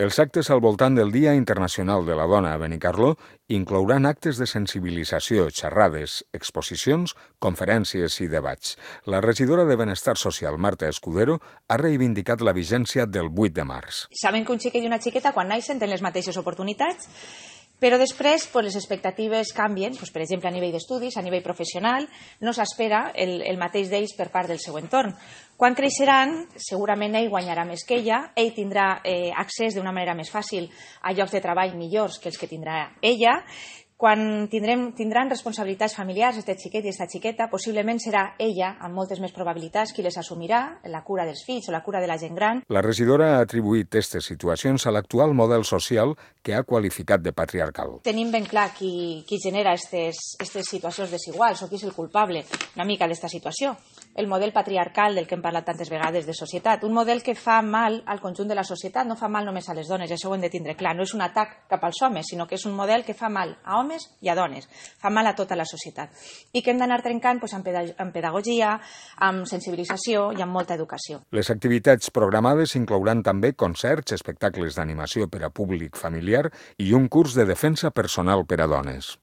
Els actes al voltant del Dia Internacional de la Dona a Benicarló inclouran actes de sensibilització, xerrades, exposicions, conferències i debats. La regidora de Benestar Social, Marta Escudero, ha reivindicat la vigència del 8 de març. Saben que un xiquet i una xiqueta, quan naixen, tenen les mateixes oportunitats, però després les expectatives canvien, per exemple, a nivell d'estudis, a nivell professional, no s'espera el mateix d'ells per part del seu entorn. Quan creixeran, segurament ell guanyarà més que ella, ell tindrà accés d'una manera més fàcil a llocs de treball millors que els que tindrà ella. Quan tindran responsabilitats familiars, aquest xiquet i aquesta xiqueta, possiblement serà ella, amb moltes més probabilitats, qui les assumirà, la cura dels fills o la cura de la gent gran. La regidora ha atribuït aquestes situacions a l'actual model social que ha qualificat de patriarcal. Tenim ben clar qui genera aquestes situacions desiguals o qui és el culpable una mica d'esta situació. El model patriarcal del que hem parlat tantes vegades de societat, un model que fa mal al conjunt de la societat, no fa mal només a les dones, això ho hem de tindre clar, no és un atac cap als homes, sinó que és un model que fa mal a homes i a dones, fa mal a tota la societat i que hem d'anar trencant amb pedagogia, amb sensibilització i amb molta educació. Les activitats programades inclouran també concerts, espectacles d'animació per a públic familiar i un curs de defensa personal per a dones.